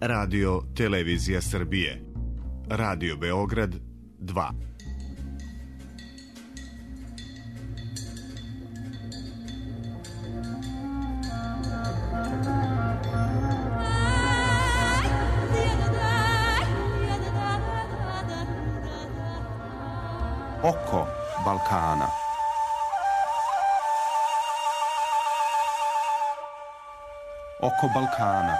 Radio Televizija Srbije, Radio Beograd 2. Oko Balkana. Oko Balkana.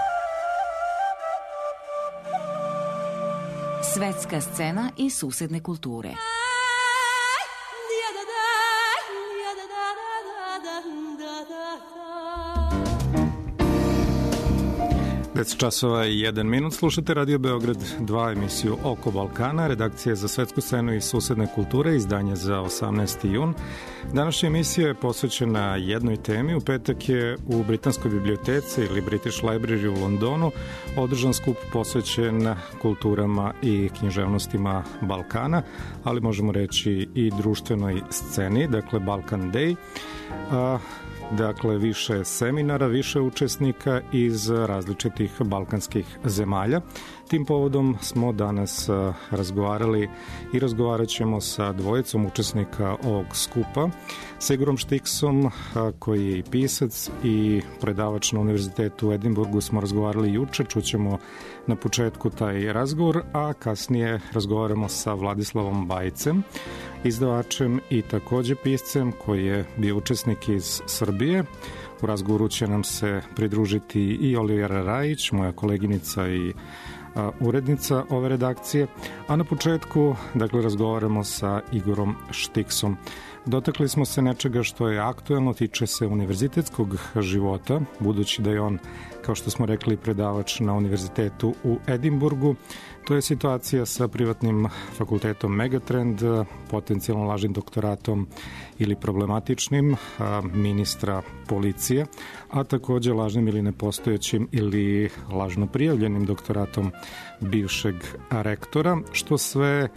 Svetska scena i susedne kulture. 10 časova i 1 minut, slušate Radio Beograd 2, emisiju Oko Balkana, redakcija za svetsku scenu i susedne kulture, izdanje za 18. jun. Današnja emisija je posvećena jednoj temi. U petak je u Britanskoj biblioteci ili British Library u Londonu održan skup posvećen kulturama i književnostima Balkana, ali možemo reći i društvenoj sceni, dakle Balkan Day. Dakle, više seminara, više učesnika iz različitih balkanskih zemalja. Tim povodom smo danas razgovarali i razgovarat ćemo sa dvojicom učesnika ovog skupa. Sa Igorom Štiksom, koji je i pisac i predavač na Univerzitetu u Edinburgu, smo razgovarali juče, čućemo na početku taj razgovor, a kasnije razgovaramo sa Vladislavom Bajcem, izdavačem i takođe piscem koji je bio učesnik iz Srbije. U razgovoru će nam se pridružiti i Olivera Rajić, moja koleginica i urednica ove redakcije, a na početku, dakle, razgovaramo sa Igorom Štiksom. Dotakli smo se nečega što je aktuelno, tiče se univerzitetskog života, budući da je on, kao što smo rekli, predavač na Univerzitetu u Edinburgu. To je situacija sa privatnim fakultetom Megatrend, potencijalno lažnim doktoratom ili problematičnim ministra policije, a takođe lažnim ili nepostojećim ili lažno prijavljenim doktoratom bivšeg rektora, što sve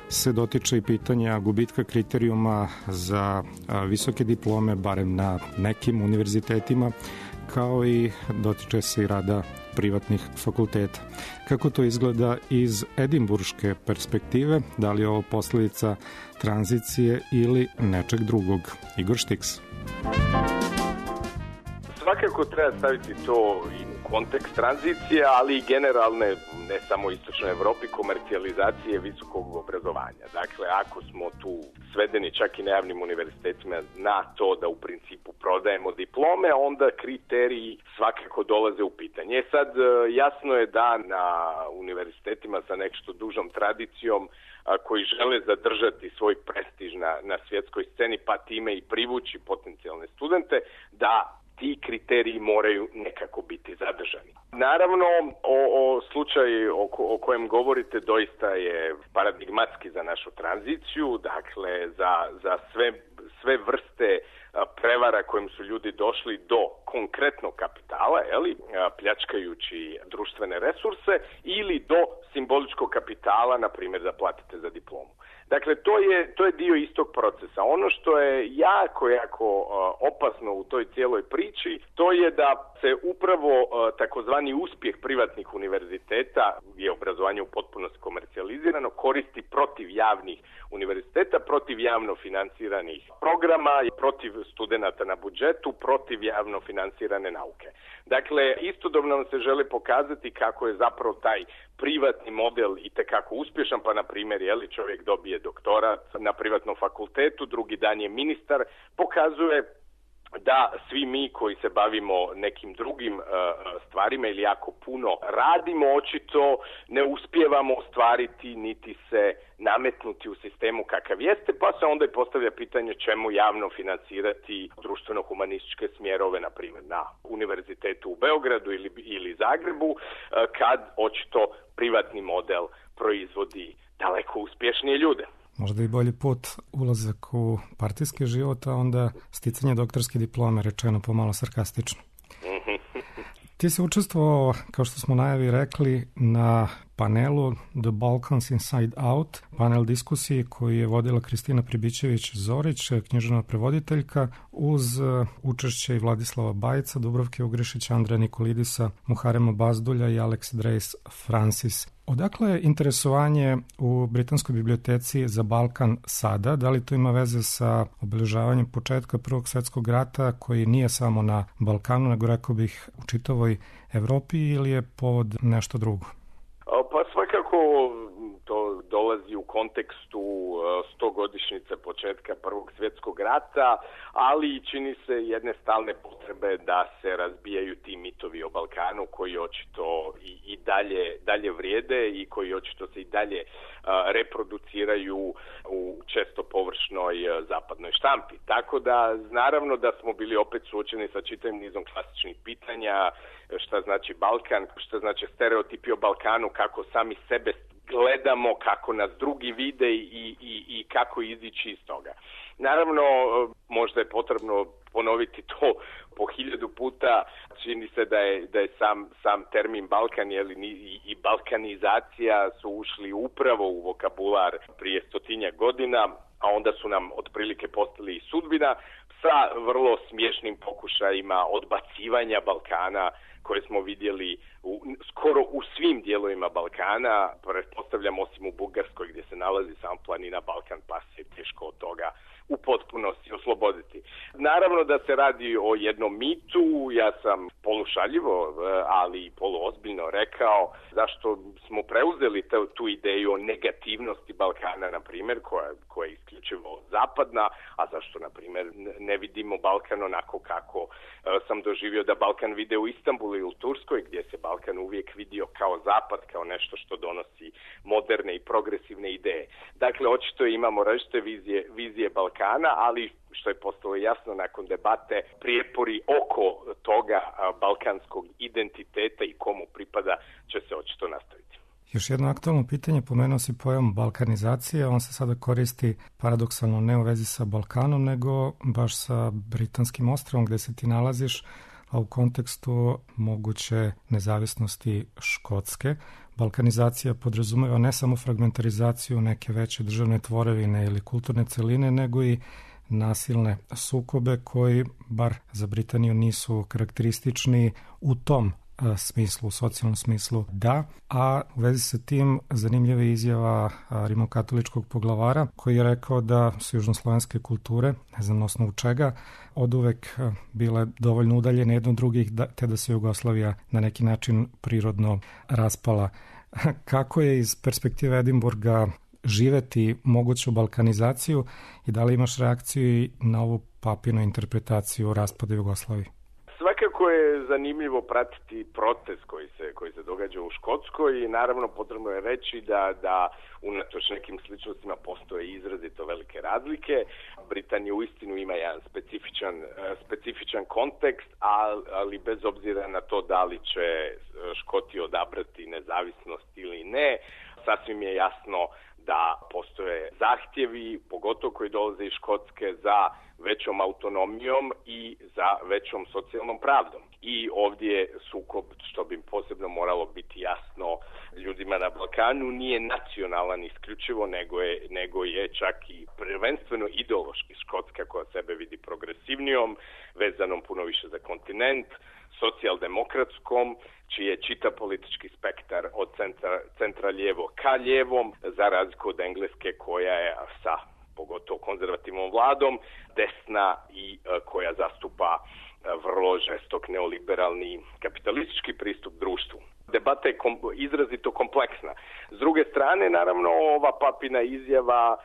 se dotiče i pitanja gubitka kriterijuma za visoke diplome, barem na nekim univerzitetima, kao i dotiče se i rada privatnih fakulteta. Kako to izgleda iz edimburške perspektive? Da li je ovo posledica tranzicije ili nečeg drugog? Igor Štiks. Svakako treba staviti to i u kontekst tranzicije, ali i generalne, ne samo u istočnoj Evropi, komercijalizacije visokog obrazovanja. Dakle, ako smo tu svedeni čak i na javnim univerzitetima na to da u principu prodajemo diplome, onda kriteriji svakako dolaze u pitanje. Sad, jasno je da na univerzitetima sa nešto dužom tradicijom koji žele zadržati svoj prestiž na svjetskoj sceni, pa time i privući potencijalne studente, da ti kriteriji moraju nekako biti zadržani. Naravno, o slučaju o kojem govorite doista je paradigmatski za našu tranziciju, dakle za sve vrste prevara kojim su ljudi došli do konkretnog kapitala, pljačkajući društvene resurse, ili do simboličkog kapitala, na primjer da platite za diplomu. Dakle, to je dio istog procesa. Ono što je jako opasno u toj cijeloj priči, to je da se upravo takozvani uspjeh privatnih univerziteta, gdje je obrazovanje u potpunosti komercijalizirano, koristi protiv javnih univerziteta, protiv javno financiranih programa, protiv studenata na budžetu, protiv javno financirane nauke. Dakle, istodobno nam se želi pokazati kako je zapravo taj privatni model itekako uspješan, pa na primjer, čovjek dobije doktorat na privatnom fakultetu, drugi dan je ministar, pokazuje da svi mi koji se bavimo nekim drugim stvarima ili jako puno radimo, očito ne uspijevamo ostvariti niti se nametnuti u sistemu kakav jeste, pa se onda i postavlja pitanje čemu javno financirati društveno-humanističke smjerove, na primjer na Univerzitetu u Beogradu ili Zagrebu, kad očito privatni model proizvodi daleko uspješnije ljude. Možda i bolji put ulazak u partijski život, a onda sticanje doktorske diplome, rečeno pomalo sarkastično. Ti si učestvovao, kao što smo najavi rekli, na panelu The Balkans Inside Out, panel diskusiji koji je vodila Kristina Pribićević-Zorić, književna prevoditeljka, uz učešće i Vladislava Bajica, Dubravke Ugrišića, Andreja Nikolidisa, Muharema Bazdulja i Alex Dreis Francis. Odakle je interesovanje u Britanskoj biblioteci za Balkan sada? Da li to ima veze sa obeležavanjem početka Prvog svjetskog rata, koji nije samo na Balkanu, nego rekao bih u čitavoj Evropi, ili je povod nešto drugo? Pa svakako to dolazi u kontekstu 100-godišnjice početka Prvog svjetskog rata, ali čini se jedne stalne potrebe da se razbijaju ti mitovi o Balkanu koji očito i dalje vrijede i koji očito se i dalje reproduciraju u često površnoj zapadnoj štampi. Tako da naravno da smo bili opet suočeni sa čitavim nizom klasičnih pitanja, šta znači Balkan, šta znači stereotipi o Balkanu, kako sami sebe gledamo, kako nas drugi vide i kako izići iz toga. Naravno, možda je potrebno ponoviti to po 1000 puta. Čini se da je sam termin Balkan i balkanizacija su ušli upravo u vokabular prije 100 godina, a onda su nam otprilike postali i sudbina sa vrlo smiješnim pokušajima odbacivanja Balkana koje smo vidjeli skoro u svim dijelovima Balkana, pretpostavljam osim u Bugarskoj gdje se nalazi sam planina Balkan, pa se teško od toga u potpunosti osloboditi. Naravno da se radi o jednom mitu, ja sam polušaljivo, ali i poluozbiljno rekao zašto smo preuzeli tu ideju o negativnosti Balkana, na primjer, koja je isključivo zapadna, a zašto, na primjer, ne vidimo Balkan onako kako sam doživio da Balkan vide u Istanbulu i u Turskoj, gdje se Balkan uvijek vidio kao zapad, kao nešto što donosi moderne i progresivne ideje. Dakle, očito imamo različite vizije Balkana, ali što je postalo jasno nakon debate, prijepori oko toga balkanskog identiteta i komu pripada će se očito nastaviti. Još jedno aktualno pitanje, pomenuo si pojam balkanizacije, on se sada koristi paradoksalno ne u vezi sa Balkanom, nego baš sa britanskim ostrvom gde se ti nalaziš, a u kontekstu moguće nezavisnosti Škotske. Balkanizacija podrazumeva ne samo fragmentarizaciju neke veće državne tvorevine ili kulturne celine, nego i nasilne sukobe koji, bar za Britaniju, nisu karakteristični u tom smislu, u socijalnom smislu da, a u vezi sa tim zanimljiva je izjava rimokatoličkog poglavara koji je rekao da su južnoslovenske kulture, ne znam na osnovu čega, oduvek bile dovoljno udaljene jedno od drugih, te da se Jugoslavija na neki način prirodno raspala. Kako je iz perspektive Edinburga živeti moguću balkanizaciju i da li imaš reakciju na ovu papinu interpretaciju raspada Jugoslavije? Svakako je zanimljivo pratiti proces koji se događa u Škotskoj i naravno potrebno je reći da unatoč nekim sličnostima postoje izrazito velike razlike. Britanija uistinu ima jedan specifičan kontekst, ali bez obzira na to da li će Škoti odabrati nezavisnost ili ne, sasvim je jasno da postoje zahtjevi, pogotovo koji dolaze iz Škotske, za većom autonomijom i za većom socijalnom pravdom. I ovdje je sukob, što bi posebno moralo biti jasno ljudima na Balkanu, nije nacionalan isključivo, nego je čak i prvenstveno ideološki. Škotska koja sebe vidi progresivnijom, vezanom puno više za kontinent, socijaldemokratskom, čiji je čitav politički spektar od centra lijevo ka lijevom, za razliku od Engleske koja je sa pogotovo konzervativnom vladom desna i koja zastupa vrlo žestok neoliberalni kapitalistički pristup društvu. Debata je izrazito kompleksna. S druge strane, naravno, ova papina izjava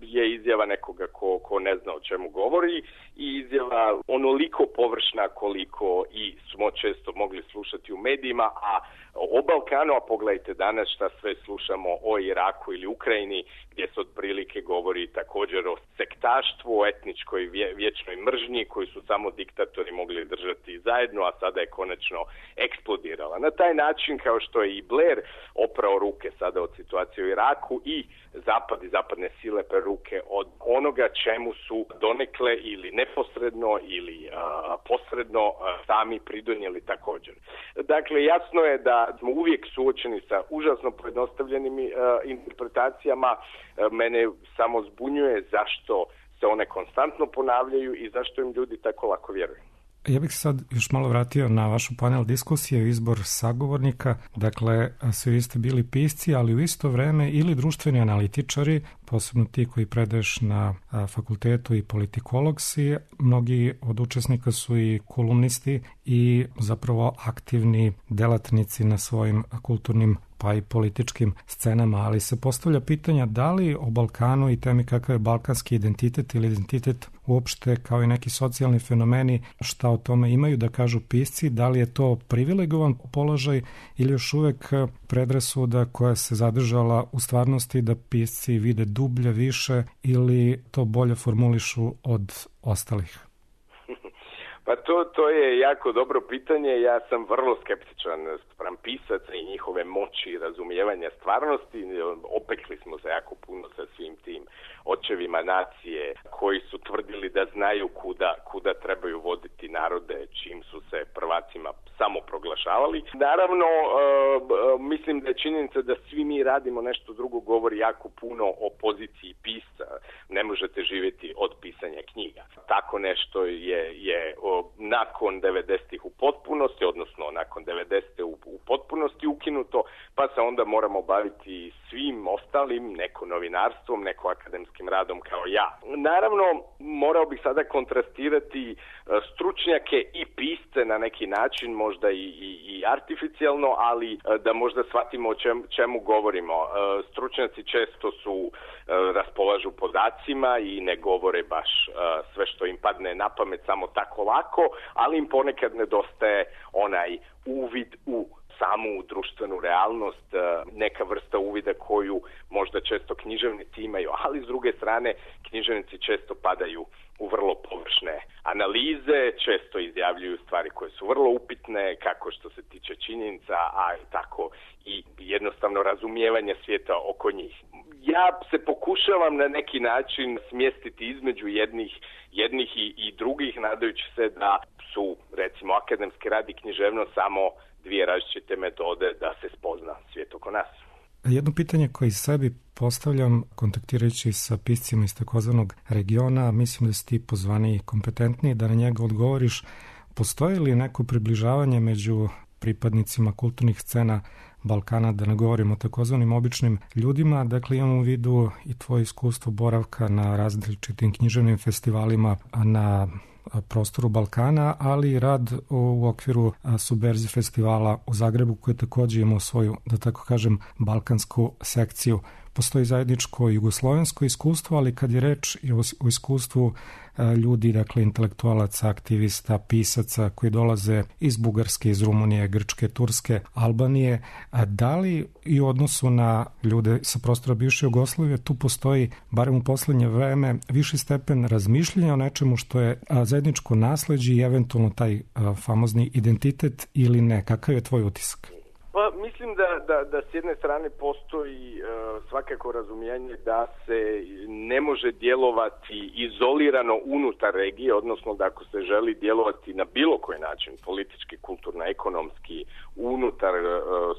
je izjava nekoga ko ne zna o čemu govori i izjava onoliko površna koliko i smo često mogli slušati u medijima, a o Balkanu, a pogledajte danas šta sve slušamo o Iraku ili Ukrajini, gdje se otprilike govori također o sektaštvu, o etničkoj vječnoj mržnji koju su samo diktatori mogli držati zajedno, a sada je konačno eksplodirala. Na taj način, kao što je i Blair oprao ruke sada od situacije u Iraku i Zapad i zapadne sile lepe ruke od onoga čemu su donekle ili neposredno ili posredno sami pridonijeli također. Dakle, jasno je da smo uvijek suočeni sa užasno pojednostavljenim interpretacijama. Mene samo zbunjuje zašto se one konstantno ponavljaju i zašto im ljudi tako lako vjeruju. Ja bih sad još malo vratio na vašu panel diskusije, izbor sagovornika. Dakle, svi vi ste bili pisci, ali u isto vreme ili društveni analitičari, posebno ti koji predaješ na fakultetu i politikolog si. Mnogi od učesnika su i kolumnisti i zapravo aktivni delatnici na svojim kulturnim pa i političkim scenama, ali se postavlja pitanja da li o Balkanu i temi kakav je balkanski identitet ili identitet uopšte kao i neki socijalni fenomeni, šta o tome imaju da kažu pisci, da li je to privilegovan položaj ili još uvek predrasuda koja se zadržala u stvarnosti da pisci vide dublje, više ili to bolje formulišu od ostalih? Pa to je jako dobro pitanje. Ja sam vrlo skeptičan spram pisaca i njihove moći i razumijevanja stvarnosti. Opekli smo se jako puno sa svim tim očevima nacije koji su tvrdili da znaju kuda trebaju voditi narode čim su se prvacima samo proglašavali. Naravno, mislim da je činjenica da svi mi radimo nešto drugo govori jako puno o poziciji pisca. Ne možete živjeti od pisanja knjiga. Tako nešto je nakon 90-ih u potpunosti, odnosno nakon 90-te u potpunosti ukinuto, pa se onda moramo baviti svim ostalim, neko novinarstvom, neko akademskim radom kao ja. Naravno, morao bih sada kontrastirati stručnjake i pisce na neki način, možda i artificijalno, ali da možda shvatimo o čemu govorimo. Stručnjaci često su raspolažu podacima i ne govore baš sve što im padne na pamet samo tako lako, ali im ponekad nedostaje onaj uvid u samu društvenu realnost, neka vrsta uvida koju možda često književnici imaju, ali s druge strane književnici često padaju u vrlo površne analize, često izjavljuju stvari koje su vrlo upitne, kako što se tiče činjenica, a i tako i jednostavno razumijevanje svijeta oko njih. Ja se pokušavam na neki način smjestiti između jednih i drugih, nadajući se da su, recimo, akademski rad i književnost samo dvije različite metode da se spozna svijet oko nas. Jedno pitanje koje sebi postavljam kontaktirajući sa piscima iz takozvanog regiona, mislim da si ti pozvani i kompetentniji da na njega odgovoriš. Postoji li neko približavanje među pripadnicima kulturnih scena Balkana, da ne govorimo o takozvanim običnim ljudima? Dakle, imamo u vidu i tvoje iskustvo boravka na različitim književnim festivalima na prostoru Balkana, ali i rad u okviru Subverzi festivala u Zagrebu koji također ima svoju, da tako kažem, balkansku sekciju. Postoji zajedničko jugoslovensko iskustvo, ali kad je reč i o iskustvu ljudi, dakle intelektualaca, aktivista, pisaca koji dolaze iz Bugarske, iz Rumunije, Grčke, Turske, Albanije, da li i u odnosu na ljude sa prostora bivše Jugoslavije tu postoji, barem u poslednje vreme, viši stepen razmišljanja o nečemu što je zajedničko nasleđe i eventualno taj famozni identitet ili ne? Kakav je tvoj utisak? Pa mislim da s jedne strane postoji svakako razumijevanje da se ne može djelovati izolirano unutar regije, odnosno da ako se želi djelovati na bilo koji način, politički, kulturno, ekonomski, unutar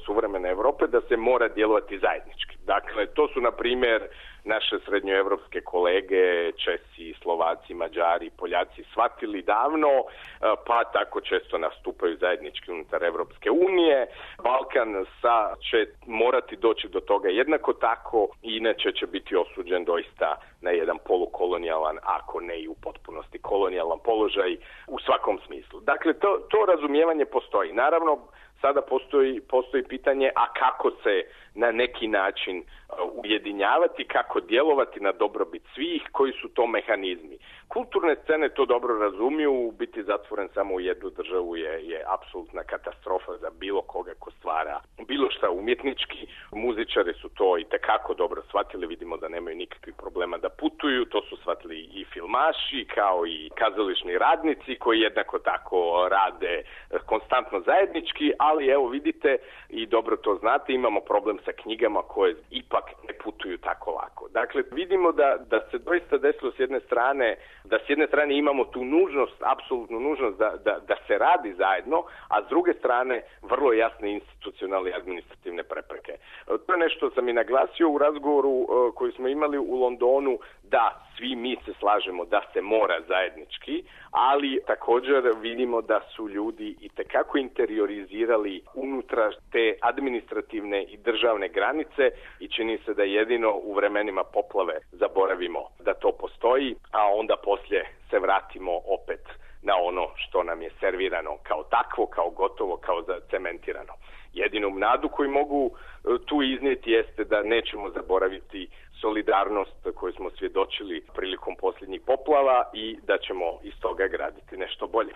suvremene Europe, da se mora djelovati zajednički. Dakle, to su na primjer naše srednjoevropske kolege, Česi, Slovaci, Mađari, Poljaci shvatili davno, pa tako često nastupaju zajednički unutar Evropske unije. Balkan će morati doći do toga jednako tako, inače će biti osuđen doista na jedan polukolonijalan, ako ne i u potpunosti kolonijalan položaj u svakom smislu. Dakle, to razumijevanje postoji. Naravno, sada postoji pitanje, a kako se na neki način ujedinjavati, kako djelovati na dobrobit svih, koji su to mehanizmi. Kulturne scene to dobro razumiju, biti zatvoren samo u jednu državu je apsolutna katastrofa za bilo koga ko stvara bilo šta umjetnički. Muzičari su to i tekako dobro shvatili, vidimo da nemaju nikakvih problema da putuju, to su shvatili i filmaši kao i kazališni radnici koji jednako tako rade konstantno zajednički, ali evo vidite i dobro to znate, imamo problem sa knjigama koje ipak ne putuju tako lako. Dakle, vidimo da se doista desilo s jedne strane, da s jedne strane imamo tu nužnost, apsolutnu nužnost da se radi zajedno, a s druge strane vrlo jasne institucionalne i administrativne prepreke. To je nešto što sam i naglasio u razgovoru koji smo imali u Londonu, da svi mi se slažemo da se mora zajednički, ali također vidimo da su ljudi itekako interiorizirali unutra te administrativne i državne granice i čini se da jedino u vremenima poplave zaboravimo da to postoji, a onda poslije se vratimo opet na ono što nam je servirano kao takvo, kao gotovo, kao zacementirano. Jedinu nadu koju mogu tu iznijeti jeste da nećemo zaboraviti solidarnost koju smo svjedočili prilikom posljednjih poplava i da ćemo iz toga graditi nešto bolje.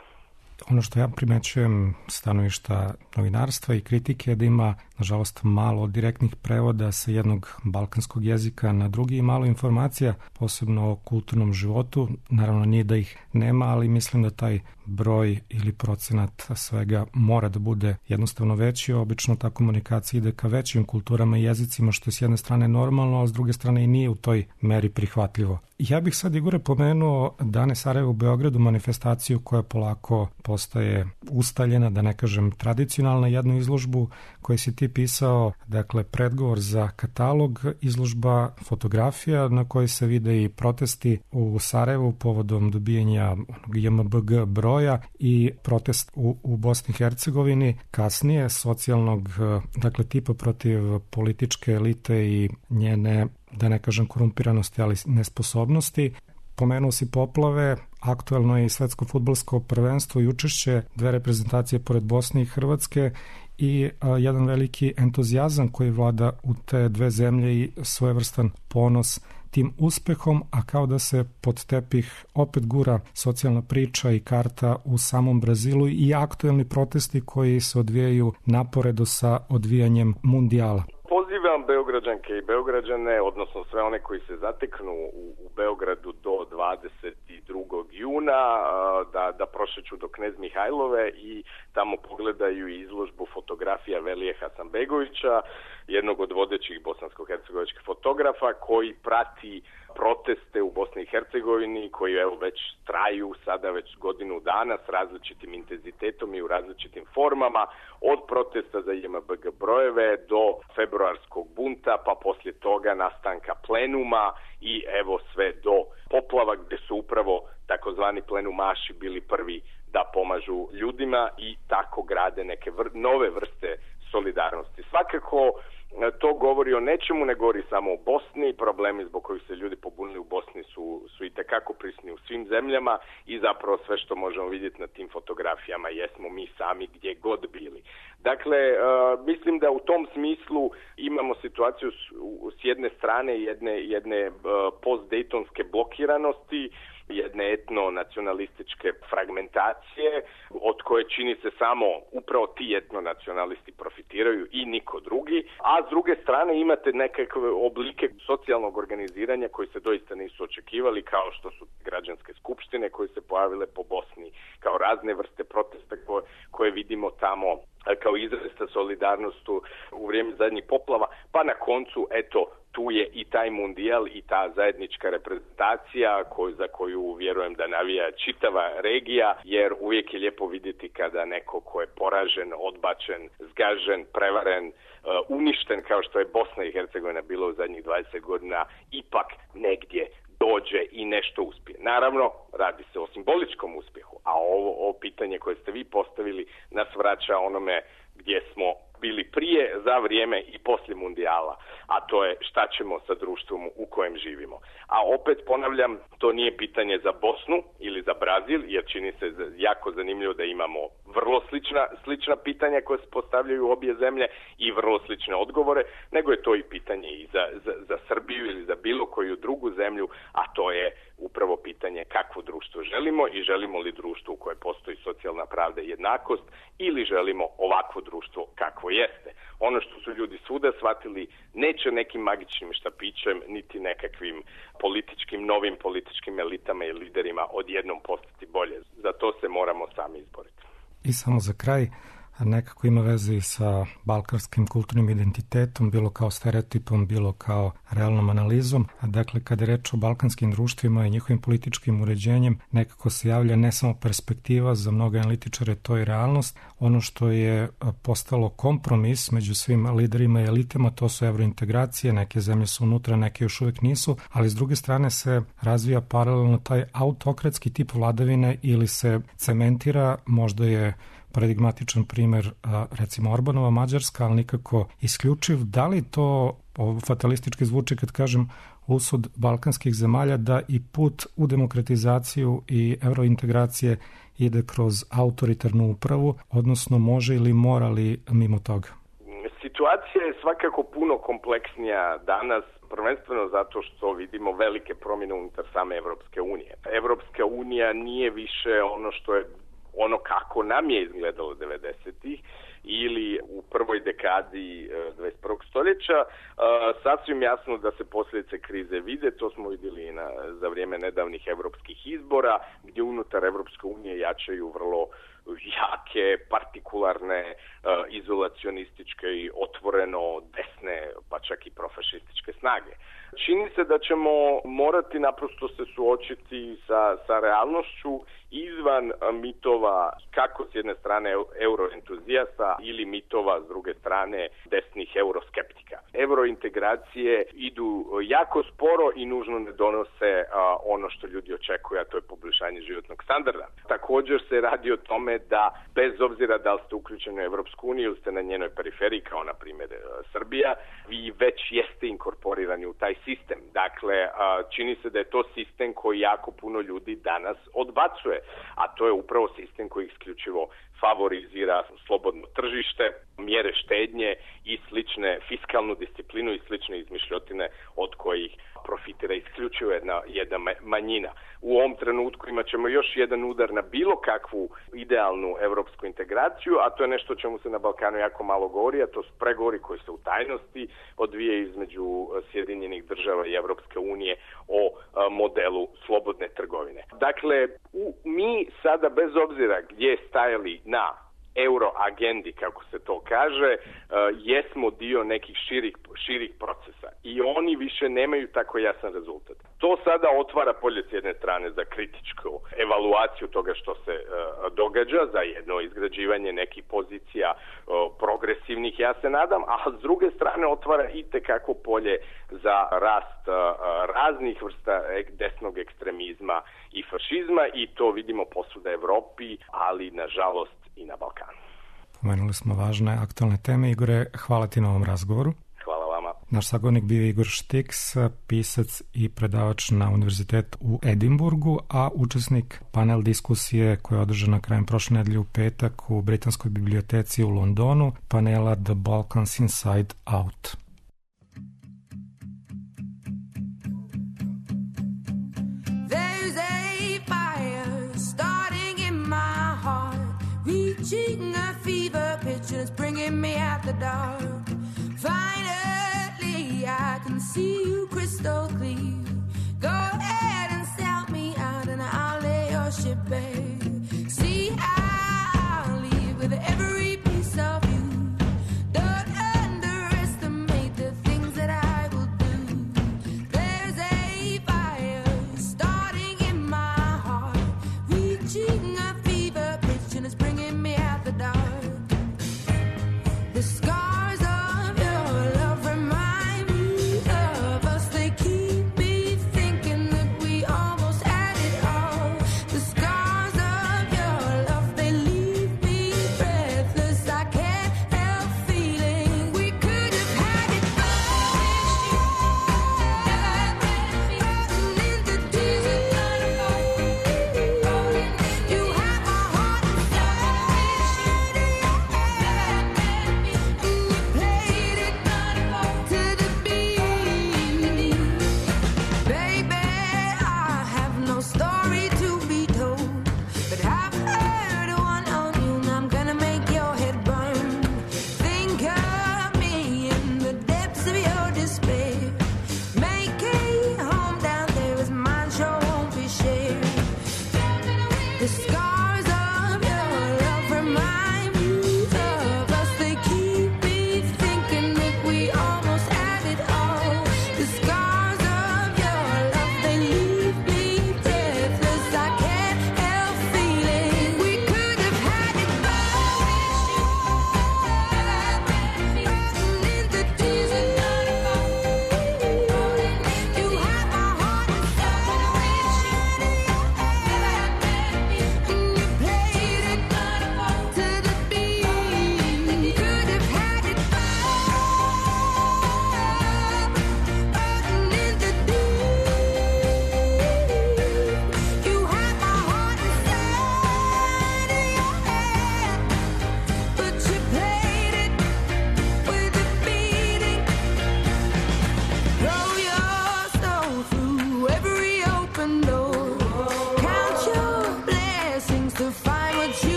Ono što ja primećujem stanovišta novinarstva i kritike je da ima, nažalost, malo direktnih prevoda sa jednog balkanskog jezika na drugi i malo informacija, posebno o kulturnom životu. Naravno, nije da ih nema, ali mislim da taj broj ili procenat svega mora da bude jednostavno veći. Obično ta komunikacija ide ka većim kulturama i jezicima, što je s jedne strane normalno, a s druge strane i nije u toj meri prihvatljivo. Ja bih sad, Igore, pomenuo Dane Sarajeva u Beogradu, manifestaciju koja polako postaje ustaljena, da ne kažem tradicionalna, jednu izložbu koju si ti pisao, dakle predgovor za katalog, izložba fotografija na kojoj se vide i protesti u Sarajevu povodom dobijanja JMBG broja i protest u Bosni i Hercegovini, kasnije socijalnog, dakle tipa protiv političke elite i njene, da ne kažem korumpiranosti, ali nesposobnosti. Pomenuo si poplave, aktuelno je i svetsko fudbalsko prvenstvo i učešće dve reprezentacije pored Bosne i Hrvatske i jedan veliki entuzijazam koji vlada u te dve zemlje i svojevrstan ponos tim uspehom, a kao da se pod tepih opet gura socijalna priča i karta u samom Brazilu i aktuelni protesti koji se odvijaju naporedo sa odvijanjem mundijala. Pozivam Beograđanke i Beograđane, odnosno sve one koji se zateknu u Beogradu do 22. juna, da prošeću do Knez Mihajlove i tamo pogledaju izložbu fotografija Velije Hasanbegovića, jednog od vodećih bosansko-hercegovačkih fotografa koji prati proteste u Bosni i Hercegovini koji evo već traju sada već godinu dana s različitim intenzitetom i u različitim formama, od protesta za JMBG brojeve do februarskog bunta, pa poslije toga nastanka plenuma i evo sve do poplava gdje su upravo takozvani plenumaši bili prvi da pomažu ljudima i tako grade neke nove vrste solidarnosti. Svakako to govori o nečemu, ne govori samo o Bosni, problemi zbog kojih se ljudi pobunili u Bosni su itekako prisutni u svim zemljama i zapravo sve što možemo vidjeti na tim fotografijama jesmo mi sami gdje god bili. Dakle, mislim da u tom smislu imamo situaciju s jedne strane jedne post-dejtonske blokiranosti, jedne etno-nacionalističke fragmentacije od koje čini se samo upravo ti etno-nacionalisti profitiraju i niko drugi, a s druge strane imate nekakve oblike socijalnog organiziranja koji se doista nisu očekivali, kao što su građanske skupštine koje se pojavile po Bosni, kao razne vrste protesta koje vidimo tamo kao izrasta solidarnosti u vrijeme zadnjih poplava, pa na koncu, eto, tu je i taj mundijal i ta zajednička reprezentacija za koju vjerujem da navija čitava regija, jer uvijek je lijepo vidjeti kada neko ko je poražen, odbačen, zgažen, prevaren, uništen kao što je Bosna i Hercegovina bilo u zadnjih 20 godina, ipak negdje dođe i nešto uspije. Naravno, radi se o simboličkom uspjehu, a ovo pitanje koje ste vi postavili nas vraća onome gdje smo bili prije, za vrijeme i poslije mundijala, a to je šta ćemo sa društvom u kojem živimo. A opet ponavljam, to nije pitanje za Bosnu ili za Brazil, jer čini se jako zanimljivo da imamo vrlo slična pitanja koje se postavljaju u obje zemlje i vrlo slične odgovore, nego je to i pitanje i za Srbiju ili za bilo koju drugu zemlju, a to je upravo pitanje kakvo društvo želimo i želimo li društvo u koje postoji socijalna pravda i jednakost ili želimo ovakvo društvo kakvo jeste. Ono što su ljudi svuda shvatili, neće nekim magičnim štapićem niti nekakvim novim političkim elitama i liderima odjednom postati bolje. Za to se moramo sami izboriti. I samo za kraj, nekako ima veze i sa balkanskim kulturnim identitetom, bilo kao stereotipom, bilo kao realnom analizom. Dakle, kada je reč o balkanskim društvima i njihovim političkim uređenjem, nekako se javlja ne samo perspektiva, za mnoge analitičare to je realnost. Ono što je postalo kompromis među svim liderima i elitama, to su evrointegracije, neke zemlje su unutra, neke još uvijek nisu, ali s druge strane se razvija paralelno taj autokratski tip vladavine ili se cementira, možda je paradigmatičan primer, recimo Orbanova Mađarska, ali nikako isključiv. Da li to fatalistički zvuči kad kažem usud balkanskih zemalja da i put u demokratizaciju i eurointegracije ide kroz autoritarnu upravu, odnosno može ili mora li mimo toga? Situacija je svakako puno kompleksnija danas, prvenstveno zato što vidimo velike promjene unutar same Evropske unije. Evropska unija nije više ono kako nam je izgledalo 90-ih ili u prvoj dekadi 21. stoljeća. Sasvim jasno da se posljedice krize vide, to smo vidjeli za vrijeme nedavnih evropskih izbora, gdje unutar Evropske unije jačaju vrlo jake, partikularne, izolacionističke i otvoreno desne, pa čak i profašističke snage. Čini se da ćemo morati naprosto se suočiti sa realnošću izvan mitova, kako s jedne strane euroentuzijasta ili mitova s druge strane desnih euroskeptika. Eurointegracije idu jako sporo i nužno ne donose ono što ljudi očekuju, a to je poboljšanje životnog standarda. Također se radi o tome da bez obzira da li ste uključeni u Evropsku uniju ili ste na njenoj periferiji, kao na primjer Srbija, vi već jeste inkorporirani u taj sistem. Dakle, čini se da je to sistem koji jako puno ljudi danas odbacuje, a to je upravo sistem koji isključivo favorizira slobodno tržište, mjere štednje i slične fiskalnu disciplinu i slične izmišljotine od kojih profitira isključivo jedna manjina. U ovom trenutku imat ćemo još jedan udar na bilo kakvu idealnu evropsku integraciju, a to je nešto o čemu se na Balkanu jako malo govori, a to su pregovori koji se u tajnosti odvijaju između Sjedinjenih država i Evropske unije o modelu slobodne trgovine. Dakle, mi sada bez obzira gdje stajali na euro agendi, kako se to kaže, jesmo dio nekih širih procesa i oni više nemaju tako jasan rezultat. To sada otvara polje s jedne strane za kritičku evaluaciju toga što se događa, za jedno izgrađivanje nekih pozicija progresivnih, ja se nadam, a s druge strane otvara itekako polje za rast raznih vrsta desnog ekstremizma i fašizma i to vidimo posvuda Evropi, ali nažalost i na Balkanu. Pomenuli smo važne aktualne teme. Igore, hvala ti na ovom razgovoru. Hvala vama. Naš sagovornik bio Igor Štiks, pisac i predavač na Univerzitetu u Edimburgu, a učesnik panel diskusije koja je održana krajem prošle nedelje u petak u Britanskoj biblioteci u Londonu, panela The Balkans Inside Out. Reaching a fever pitch and it's bringing me out the dark. Finally, I can see you crystal clear. Go ahead and sell me out and I'll lay your ship bare. See, I'll leave with every piece of you. Don't underestimate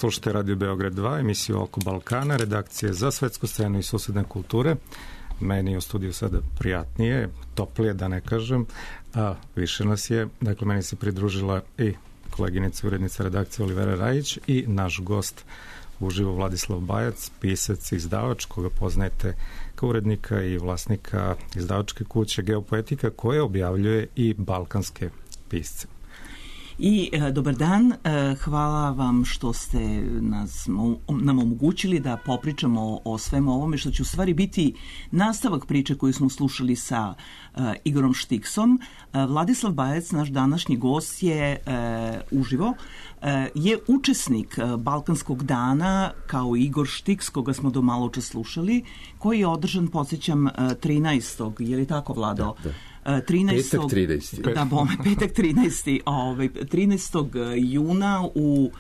slušate Radio Beograd 2, emisiju Oko Balkana, redakcije za svetsku scenu i susedne kulture. Meni je u studiju sada prijatnije, toplije da ne kažem, a više nas je. Dakle, meni se pridružila i koleginica, urednica redakcije Olivera Rajić i naš gost uživo Vladislav Bajac, pisac i izdavač, koga poznajete kao urednika i vlasnika izdavačke kuće Geopoetika, koja objavljuje i balkanske pisce. I dobar dan, hvala vam što ste nam omogućili da popričamo o svemu ovome, što će u stvari biti nastavak priče koju smo slušali sa Igorom Štiksom. Vladislav Bajac, naš današnji gost, je uživo, je učesnik Balkanskog dana kao Igor Štiks, koga smo do malo čas slušali, koji je održan, podsjećam, 13. Je li tako, Vlado? Da. 13. Petak 13. Da, bome, petak 13. 13. juna u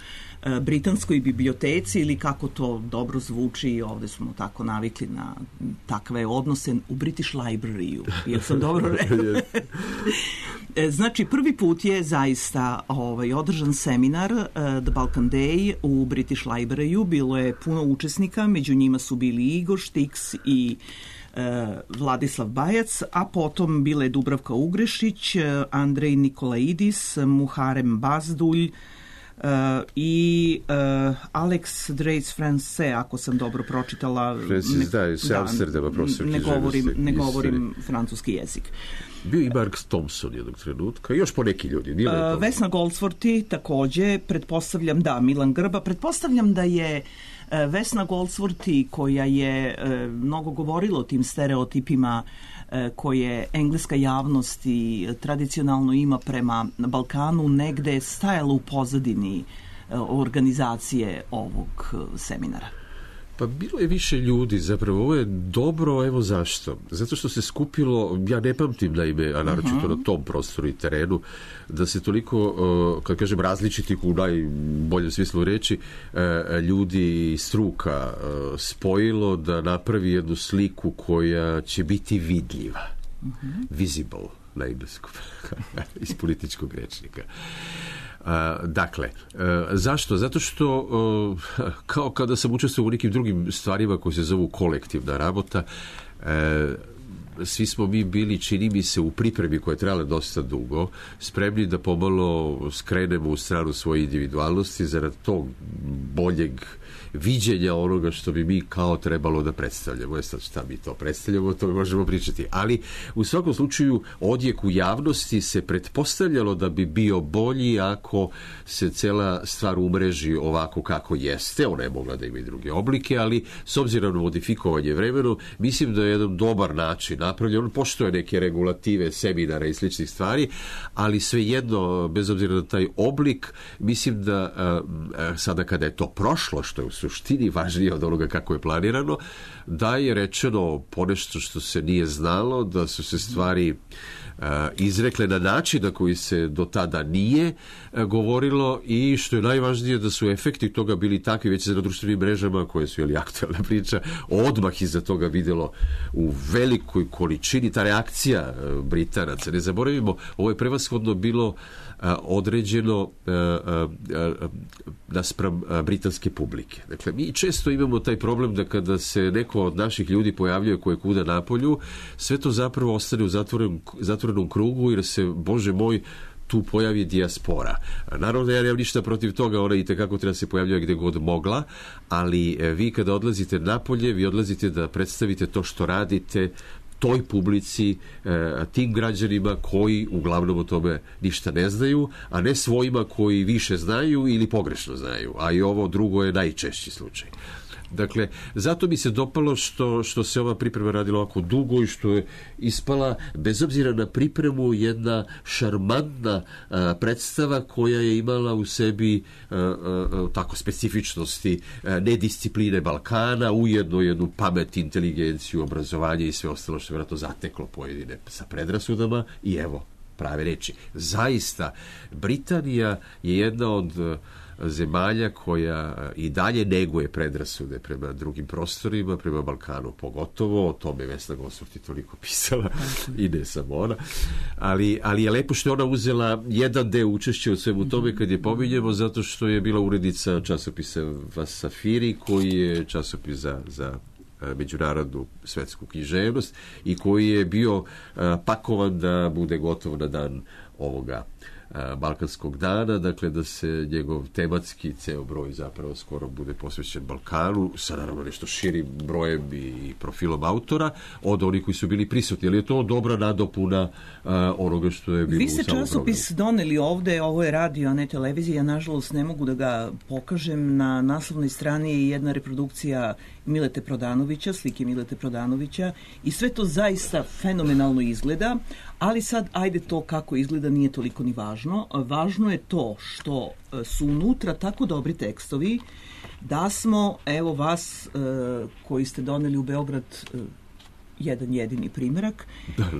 Britanskoj biblioteci, ili kako to dobro zvuči, ovde smo tako navikli na takve odnose, u British Library-u. Jel sam dobro rekla? Znači, prvi put je zaista održan seminar The Balkan Day u British Library-u. Bilo je puno učesnika, među njima su bili Igor Štiks i Vladislav Bajac, a potom bile Dubravka Ugrešić, Andrej Nikolaidis, Muharem Bazdulj i Alex Dreis France, ako sam dobro pročitala. Francis, sa Amsterdama, profesor književnosti. Ne govorim francuski jezik. Bio i Mark Thompson jednog trenutka, još po neki ljudi. Vesna Goldsworthy takođe, pretpostavljam da, Milan Grba, pretpostavljam da je Vesna Goldsworthy, koja je mnogo govorila o tim stereotipima koje engleska javnost i tradicionalno ima prema Balkanu, negde stajala u pozadini organizacije ovog seminara. Pa bilo je više ljudi, zapravo ovo je dobro, evo zašto. Zato što se skupilo, ja ne pamtim naime, a naročito na tom prostoru i terenu, da se toliko, kad kažem različitih u najboljem smislu reći, ljudi iz struka spojilo da napravi jednu sliku koja će biti vidljiva. Visible na engleskom, iz političkog rečnika. Dakle, zašto? Zato što kao kada sam učestvovao u nekim drugim stvarima koje se zovu kolektivna rabota, svi smo mi bili, čini mi se, u pripremi koja je trajala dosta dugo, spremni da pomalo skrenemo u stranu svoje individualnosti zarad tog boljeg viđenja onoga što bi mi kao trebalo da predstavljamo. Sad šta mi to predstavljamo, to možemo pričati. Ali u svakom slučaju odjek u javnosti se pretpostavljalo da bi bio bolji ako se cela stvar umreži ovako kako jeste. Ona je mogla da ima i druge oblike, ali s obzirom na modifikovanje vremenom, mislim da je jedan dobar način napravljen. On poštuje neke regulative, seminara i sličnih stvari, ali svejedno, bez obzira na taj oblik, mislim da sada kada je to prošlo, što je u suštini važnije od onoga kako je planirano, da je rečeno ponešto što se nije znalo, da su se stvari izrekle na način na koji se do tada nije govorilo i što je najvažnije da su efekti toga bili takvi već na društvenim mrežama koje su aktualna priča, odmah iza toga videlo u velikoj količini ta reakcija Britanaca. Ne zaboravimo, ovo je prevashodno bilo određeno naspram britanske publike. Dakle, mi često imamo taj problem da kada se neko od naših ljudi pojavljuje koje kuda napolju, sve to zapravo ostane u zatvorenom krugu jer se, Bože moj, tu pojavi dijaspora. Naravno da ja nemam ništa protiv toga, ona i tekako treba se pojavljati gde god mogla, ali vi kada odlazite napolje, vi odlazite da predstavite to što radite toj publici, tim građanima koji uglavnom o tome ništa ne znaju, a ne svojima koji više znaju ili pogrešno znaju. A i ovo drugo je najčešći slučaj. Dakle, zato mi se dopalo što se ova priprema radila ovako dugo i što je ispala, bez obzira na pripremu, jedna šarmantna predstava koja je imala u sebi tako specifičnosti nediscipline Balkana, ujedno jednu pamet, inteligenciju, obrazovanje i sve ostalo što je vjerojatno zateklo pojedine sa predrasudama i evo prave reči. Zaista, Britanija je jedna od zemalja koja i dalje neguje predrasude prema drugim prostorima, prema Balkanu pogotovo. O tome Vesna Gosurt je toliko pisala i ne samo ona. Ali je lepo što je ona uzela jedan deo učešća u svemu tome kad je pominjemo, zato što je bila urednica časopisa Vasafiri, koji je časopis za međunarodnu svetsku književnost i koji je bio pakovan da bude gotov na dan ovoga Balkanskog dana, dakle da se njegov tematski ceo broj zapravo skoro bude posvećen Balkanu, sa naravno nešto širim brojem i profilom autora od onih koji su bili prisutni, ali je to dobra nadopuna onoga što je bilo Vi u ste samom časopis programu. doneli ovde, ovo je radio, a ne televizija, ja nažalost ne mogu da ga pokažem. Na naslovnoj strani je jedna reprodukcija Milete Prodanovića, slike Milete Prodanovića i sve to zaista fenomenalno izgleda, ali sad, ajde, to kako izgleda nije toliko ni važno. Važno je to što su unutra tako dobri tekstovi da smo, evo vas koji ste doneli u Beograd jedan jedini primerak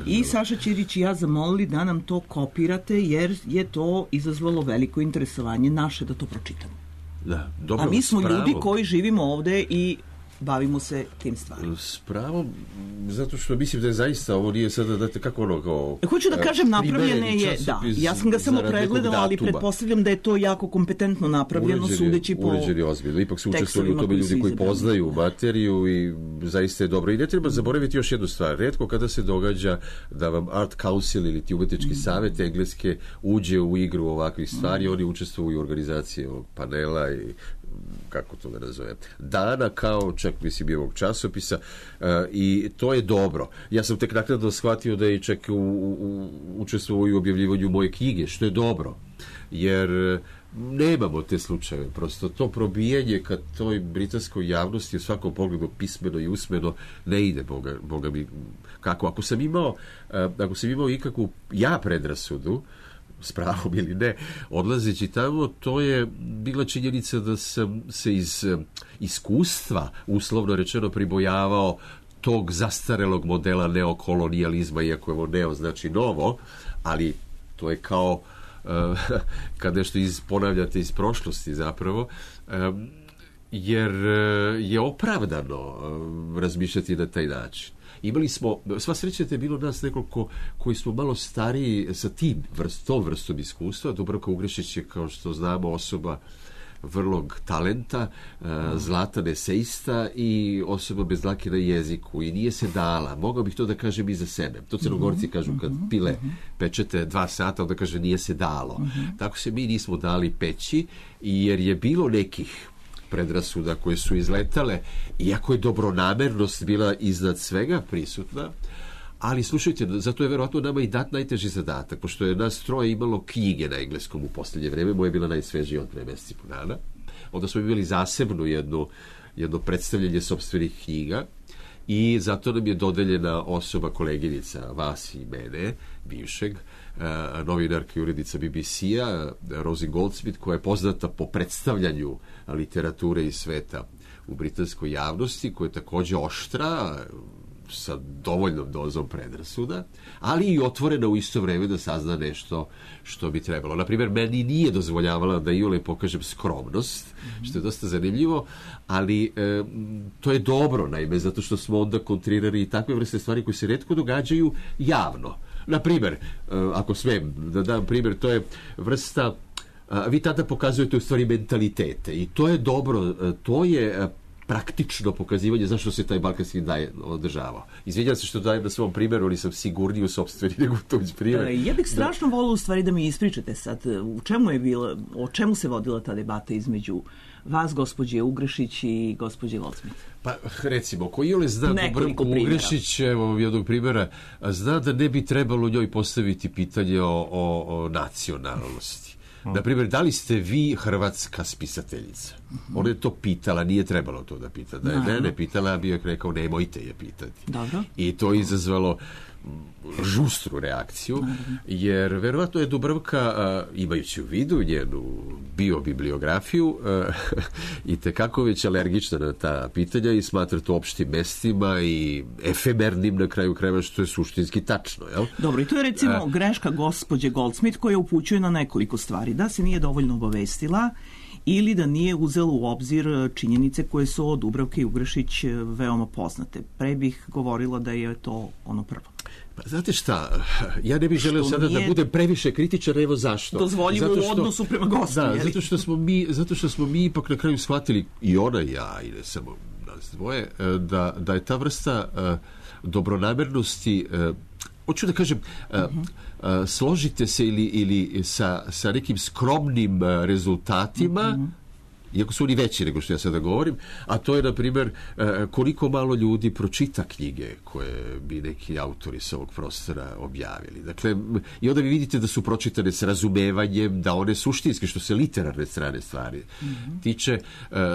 i Saša Ćirić i ja zamolili da nam to kopirate jer je to izazvalo veliko interesovanje naše da to pročitamo. Da, dobro, a mi smo s pravom. ljudi koji živimo ovde i bavimo se tim stvarima. S pravom, zato što mislim da je zaista ovo nije sada, date kako ono kao... Hoću da kažem, napravljene je, da, časopis ja sam ga samo zarad nekog pregledala, ali datuma. pretpostavljam da je to jako kompetentno napravljeno, sudeći po uređeni ozbiljno. Ipak su učestvovali u tekstovima tome koji su ljudi koji izabrani. poznaju materiju i zaista je dobro. I ne treba zaboraviti još jednu stvar. Retko kada se događa da vam Art Council ili ti umetnički savjet engleske uđe u igru ovakvih stvari, oni učestvuju u organizaciji ovog panela i kako to da nazovem, dana kao čak mislim i ovog časopisa i to je dobro. Ja sam tek naknadno shvatio da je čak učestvovao u objavljivanju moje knjige, što je dobro, jer nemamo te slučajeve. Prosto to probijanje kad toj britanskoj javnosti u svakom pogledu pismeno i usmeno ne ide, boga mi, kako. Ako sam imao ikakvu predrasudu, s pravom ili ne, odlazeći tamo, to je bila činjenica da sam se iz iskustva, uslovno rečeno, pribojavao tog zastarelog modela neokolonijalizma, iako je ovo neo znači novo, ali to je kao kad nešto ponavljate iz prošlosti zapravo, jer je opravdano razmišljati na taj način. Imali smo, sva sreća je bilo nas nekoliko koji smo malo stariji sa tom vrstom iskustva. Dubravka Ugrešić je, kao što znamo, osoba vrlog talenta, zlatan eseista i osoba bez dlake na jeziku i nije se dala. Mogao bih to da kažem i za sebe. To Crnogorci kažu kad pile pečete 2 sata, onda kaže nije se dalo. Tako se mi nismo dali peći, jer je bilo nekih predrasuda koje su izletale, iako je dobronamernost bila iznad svega prisutna, ali slušajte, zato je verovatno nama i dat najteži zadatak, pošto je nas troje imalo knjige na engleskom u posljednje vreme, moja je bila najsvežija od 2 mjeseca po dana, onda smo imali zasebno jedno predstavljanje sopstvenih knjiga i zato nam je dodeljena osoba, koleginica vas i mene, bivšeg, novinarka i urednica BBC-a, Rosie Goldsmith, koja je poznata po predstavljanju literature iz sveta u britanskoj javnosti, koja je također oštra, sa dovoljnom dozom predrasuda, ali i otvorena u isto vreme da sazna nešto što bi trebalo. Naprimjer, meni nije dozvoljavala da iole pokažem skromnost, što je dosta zanimljivo, ali to je dobro, naime, zato što smo onda kontrirali i takve vrste stvari koje se retko događaju javno. Naprimjer, ako smijem da dam primjer, to je vrsta, vi tada pokazujete u stvari mentalitete i to je dobro, to je praktično pokazivanje zašto se taj balkanski dan održavao. Izvinjam se što dajem na svom primjeru, ali sam sigurniji u sopstveni nego tuđ primjer. Ja bih strašno volila u stvari da mi ispričate sad o čemu se vodila ta debata između vas, gospođe Ugrešić i gospođe Goldsmith. Pa recimo, ko iole zna Dubravku Ugrešić, evo jednog primjera, zna da ne bi trebalo njoj postaviti pitanje o nacionalnosti. Naprimjer, da li ste vi hrvatska spisateljica? Ona je to pitala, nije trebalo to da pita. Da je mene pitala, bi joj rekao, nemojte je pitati. Dobro. I to je izazvalo žustru reakciju, jer verovatno je Dubravka, imajući u vidu njenu biobibliografiju, i tekako već alergična na ta pitanja i smatra to opštim mestima i efemernim na kraju krajeva, što je suštinski tačno. Jel? Dobro, i to je recimo greška gospođe Goldsmith koja upućuje na nekoliko stvari. Da se nije dovoljno obavestila ili da nije uzelo u obzir činjenice koje su od Dubravke i Ugrešić veoma poznate. Pre bih govorila da je to ono prvo. Pa znate šta, ja ne bih želeo sada da budem previše kritičan, evo zašto. Dozvoljivo u odnosu prema gostu. Da, zato što smo mi ipak na kraju shvatili, i ona i ja, i ne samo nas dvoje, da je ta vrsta dobronamernosti, hoću da kažem, složite se ili sa nekim skromnim rezultatima, iako su oni veći nego što ja sada govorim, a to je, na primjer, koliko malo ljudi pročita knjige koje bi neki autori sa ovog prostora objavili. Dakle, i onda vi vidite da su pročitane s razumevanjem, da one suštinske, što se literarne strane stvari tiče,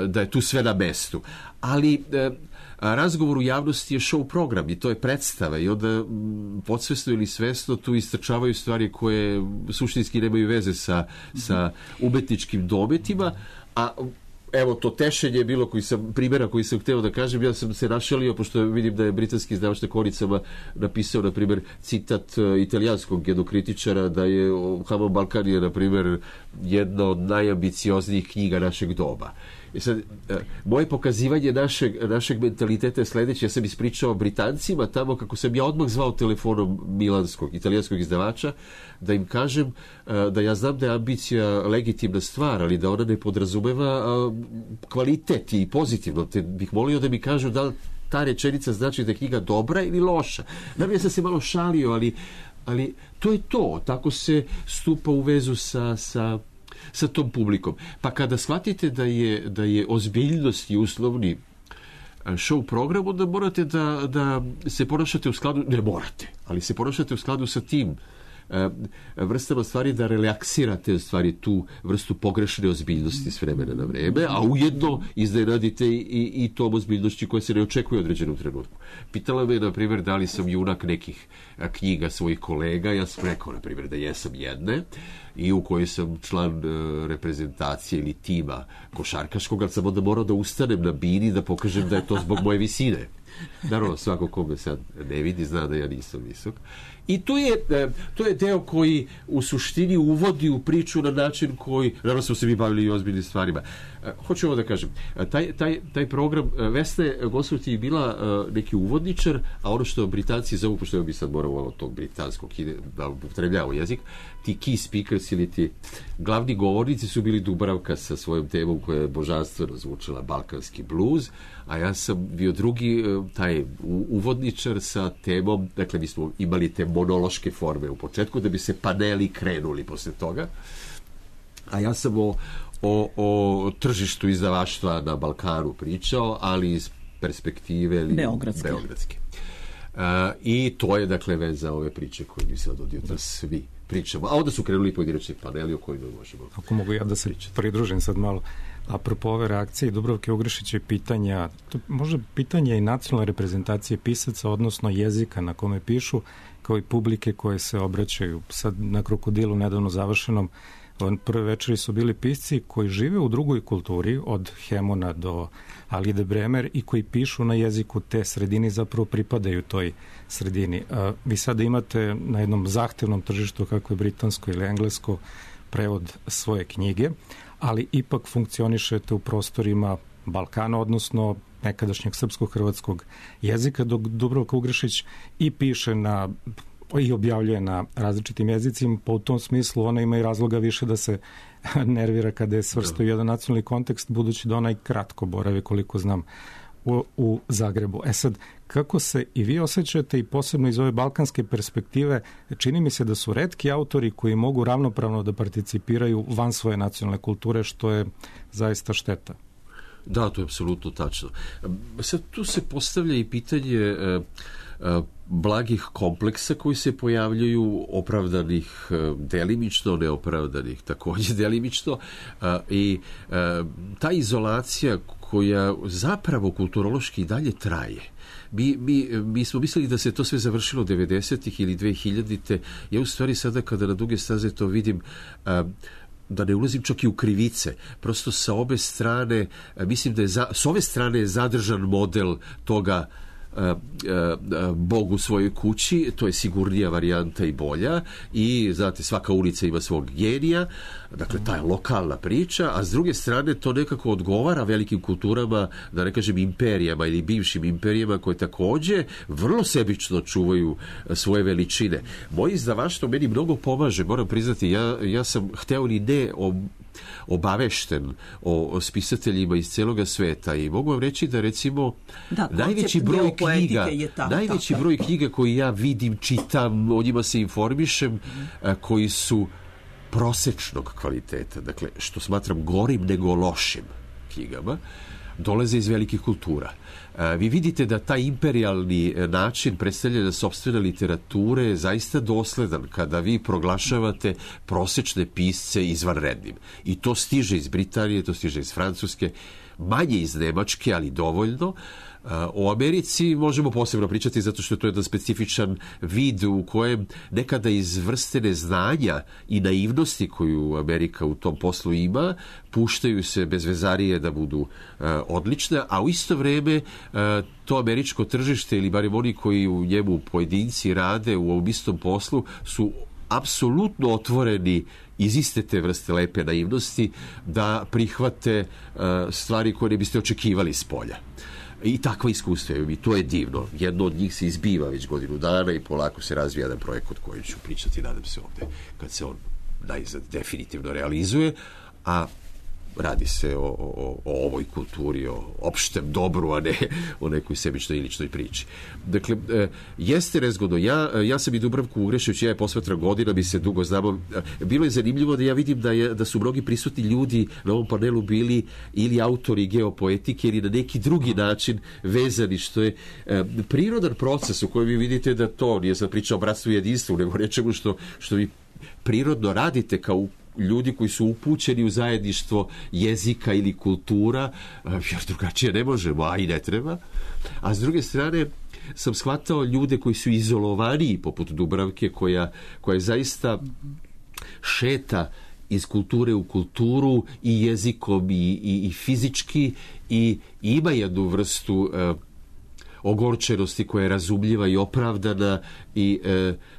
da je tu sve na mestu. Ali razgovor u javnosti je show program i to je predstava i onda podsvesno ili svesno tu istrčavaju stvari koje suštinski nemaju veze sa umetničkim dometima. A evo to tešenje je bilo primjera koji sam hteo da kažem, ja sam se našalio, pošto vidim da je britanski izdavač na Koricama napisao, na primjer, citat italijanskog jednog kritičara da je Okobal Balkan je, na primjer, jedna od najambicioznijih knjiga našeg doba. I sad, moje pokazivanje našeg mentaliteta je sledeće. Ja sam ispričao Britancima tamo kako sam ja odmah zvao telefonom italijanskog izdavača da im kažem da ja znam da je ambicija legitimna stvar, ali da ona ne podrazumeva kvalitet i pozitivno. Te bih molio da mi kažu da li ta rečenica znači da je knjiga dobra ili loša. Naravno, ja sam se malo šalio, ali to je to. Tako se stupa u vezu sa tom publikom. Pa kada shvatite da je ozbiljnost i uslovni show program, onda morate da se ponašate u skladu, ne morate, ali se ponašate u skladu sa tim vrstama stvari, da relaksirate stvari tu vrstu pogrešne ozbiljnosti s vremena na vreme, a ujedno iznenadite i tom ozbiljnošću koja se ne očekuje u određenom trenutku. Pitala me, na primjer, da li sam junak nekih knjiga svojih kolega. Ja sam rekao, na primjer, da jesam jedne i u kojoj sam član reprezentacije ili tima košarkaškog, ali sam onda morao da ustanem na bini da pokažem da je to zbog moje visine. Naravno, svako ko me sad ne vidi zna da ja nisam visok. I to je deo koji u suštini uvodi u priču na način koji, naravno smo se mi bavili i ozbiljnim stvarima. Hoću ovo da kažem, taj program, Vesna Gosvati je bila neki uvodničar, a ono što Britanci zovu, pošto bi sad morao od tog britanskog da upotrebljavao jezik, ti key speakers ili ti glavni govornici su bili Dubravka sa svojom temom koja je božanstveno zvučala balkanski blues, a ja sam bio drugi, taj uvodničar sa temom, dakle mi smo imali te monološke forme u početku da bi se paneli krenuli posle toga, a ja sam o tržištu izdavaštva na Balkanu pričao, ali iz perspektive beogradske. I to je, dakle, veza ove priče koje mi sad od jutra svi pričamo. A onda su krenuli pojedinačni paneli o kojima možemo. Ako mogu ja da se pridružim sad malo. Apropo ove reakcije Dubravke Ugrešića i pitanja, možda pitanje i nacionalne reprezentacije pisaca, odnosno jezika na kome pišu, kao i publike koje se obraćaju. Sad na Krokodilu nedavno završenom prve večeri su bili pisci koji žive u drugoj kulturi, od Hemona do Alide Bremer, i koji pišu na jeziku te sredini, zapravo pripadaju toj sredini. Vi sada imate na jednom zahtevnom tržištu, kako je britansko ili englesko, prevod svoje knjige, ali ipak funkcionišete u prostorima Balkana, odnosno nekadašnjeg srpsko-hrvatskog jezika, dok Dubravka Ugrešić i piše i objavljuje na različitim jezicima, pa u tom smislu ona ima i razloga više da se nervira kada je svrsta u jedan nacionalni kontekst, budući da ona i kratko boravi, koliko znam, u Zagrebu. Sad, kako se i vi osjećate, i posebno iz ove balkanske perspektive, čini mi se da su retki autori koji mogu ravnopravno da participiraju van svoje nacionalne kulture, što je zaista šteta. Da, to je apsolutno tačno. Sad tu se postavlja i pitanje blagih kompleksa koji se pojavljaju, opravdanih delimično, neopravdanih takođe delimično, i ta izolacija koja zapravo kulturološki dalje traje. Mi smo mislili da se to sve završilo 90-ih ili 2000-te. Ja u stvari sada kada na duge staze to vidim, da ne ulazim čak i u krivice, prosto sa obe strane, mislim da je s ove strane je zadržan model toga Bog u svojoj kući, to je sigurnija varijanta i bolja i znate, svaka ulica ima svog genija, dakle ta je lokalna priča, a s druge strane to nekako odgovara velikim kulturama, da ne kažem imperijama ili bivšim imperijama koje takođe vrlo sebično čuvaju svoje veličine. Moje izdavaštvo meni mnogo pomaže, moram priznati, ja sam hteo ni ne obavešten o spisateljima iz celoga sveta i mogu vam reći da recimo najveći broj knjiga koji ja vidim, čitam, o njima se informišem, koji su prosečnog kvaliteta, dakle što smatram gorim nego lošim knjigama, dolaze iz velikih kultura. Vi vidite da taj imperijalni način predstavljanja sopstvene literature je zaista dosledan kada vi proglašavate prosečne pisce izvanrednim. I to stiže iz Britanije, to stiže iz Francuske, manje iz Nemačke, ali dovoljno. O Americi možemo posebno pričati zato što je to jedan specifičan vid u kojem nekada iz vrste neznanja i naivnosti koju Amerika u tom poslu ima, puštaju se bez vezarije da budu odlične, a u isto vreme to američko tržište ili barem oni koji u njemu pojedinci rade u ovom istom poslu su apsolutno otvoreni iz iste te vrste lepe naivnosti da prihvate stvari koje ne biste očekivali s polja. I takva iskustva i to je divno. Jedno od njih se izbiva već godinu dana i polako se razvija jedan projekat koji ću pričati, nadam se ovde, kad se on najzad definitivno realizuje, a radi se o ovoj kulturi, o opštem dobru, a ne o nekoj sebičnoj i ličnoj priči. Dakle, jeste nezgodno. Ja sam i Dubravku ugrešujući, ja je posmatram godina, mi se dugo znamo. Bilo je zanimljivo da ja vidim da su mnogi prisutni ljudi na ovom panelu bili ili autori geopoetike ili na neki drugi način vezani, što je prirodan proces u kojem vi vidite da to, nije sam pričao o bratstvu i jedinstvu, nego nečemu što vi prirodno radite kao ljudi koji su upućeni u zajedništvo jezika ili kultura, jer drugačije ne možemo, a i ne treba. A s druge strane sam shvatao ljude koji su izolovaniji, poput Dubravke, koja zaista šeta iz kulture u kulturu i jezikom i fizički i ima jednu vrstu ogorčenosti koja je razumljiva i opravdana i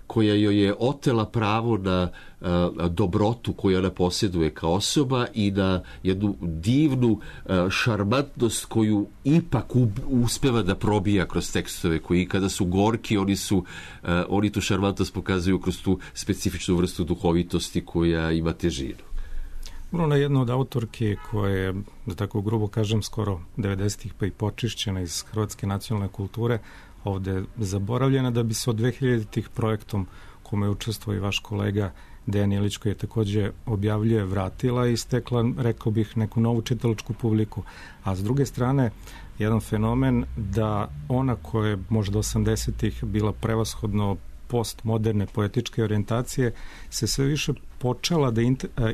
koja joj je otela pravo na dobrotu koju ona posjeduje kao osoba i na jednu divnu šarmantnost koju ipak uspeva da probija kroz tekstove koji kada su gorki oni tu šarmantnost pokazuju kroz tu specifičnu vrstu duhovitosti koja ima težinu. Bruna je jedna od autorki koja je, da tako grubo kažem, skoro 90-ih pa i počišćena iz hrvatske nacionalne kulture, ovde zaboravljena, da bi se od 2000-ih projektom kome je učestvovao i vaš kolega Dejan Ilić, koji je takođe objavljuje, vratila i stekla, rekao bih, neku novu čitalačku publiku. A s druge strane, jedan fenomen da ona koja je možda 80-ih bila prevashodno postmoderne poetičke orijentacije se sve više počela da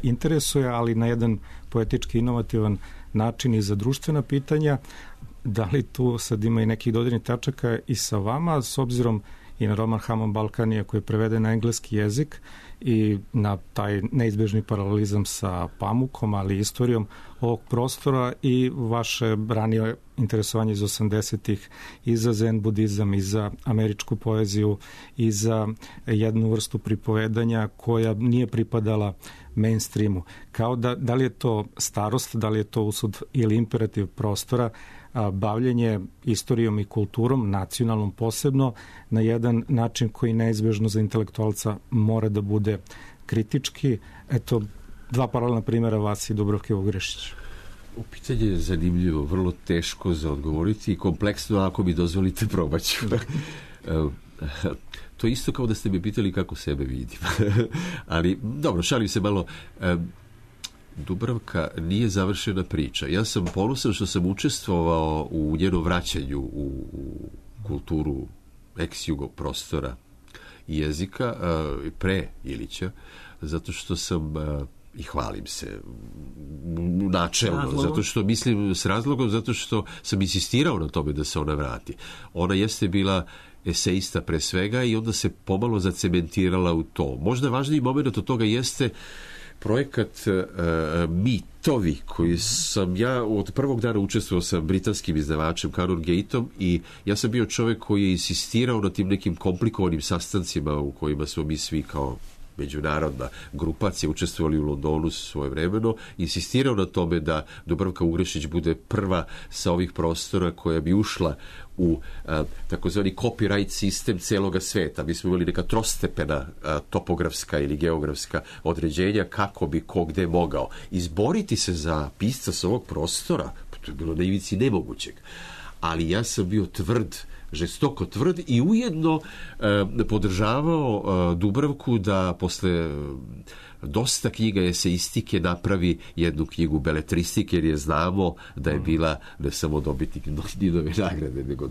interesuje, ali na jedan poetički inovativan način i za društvena pitanja. Da li tu sad ima i nekih dodirnih tačaka i sa vama, s obzirom i na roman Haman Balkanija koji je preveden na engleski jezik i na taj neizbežni paralelizam sa Pamukom, ali i istorijom ovog prostora i vaše ranije interesovanje iz 80-ih i za zen budizam i za američku poeziju i za jednu vrstu pripovedanja koja nije pripadala mainstreamu. Kao da li je to starost, da li je to usud ili imperativ prostora, bavljenje istorijom i kulturom, nacionalnom posebno, na jedan način koji neizbežno za intelektualca mora da bude kritički. Eto, dva paralelna primjera vas i Dubravke Ugrešića. Pitanje je zanimljivo, vrlo teško za odgovoriti i kompleksno, ako mi dozvolite, probaću. To je isto kao da ste me pitali kako sebe vidim. Ali, dobro, šalim se malo. Dubravka nije završena priča. Ja sam ponosan što sam učestvovao u njenom vraćanju u kulturu ex-jugo prostora i jezika pre Ilića, zato što sam i hvalim se načelno, zato što mislim s razlogom, zato što sam insistirao na tome da se ona vrati. Ona jeste bila eseista pre svega i onda se pomalo zacementirala u to. Možda važniji moment od toga jeste projekat Mit ratovi koji sam ja od prvog dana učestvovao sa britanskim izdavačem Canongate-om i ja sam bio čovjek koji je insistirao na tim nekim komplikovanim sastancima u kojima smo mi svi kao međunarodna grupacija učestvovali u Londonu svojevremeno, insistirao na tome da Dubravka Ugrešić bude prva sa ovih prostora koja bi ušla u takozvani copyright sistem celoga sveta. Mi smo imali neka trostepena topografska ili geografska određenja kako bi ko gde mogao. Izboriti se za pisca sa ovog prostora, to je bilo na ivici nemogućeg. Ali ja sam bio tvrd, žestoko tvrd i ujedno podržavao Dubravku da posle dosta knjiga eseistike napravi jednu knjigu beletristike, jer je znamo da je bila ne samo dobitnik Nobelove nagrade, nego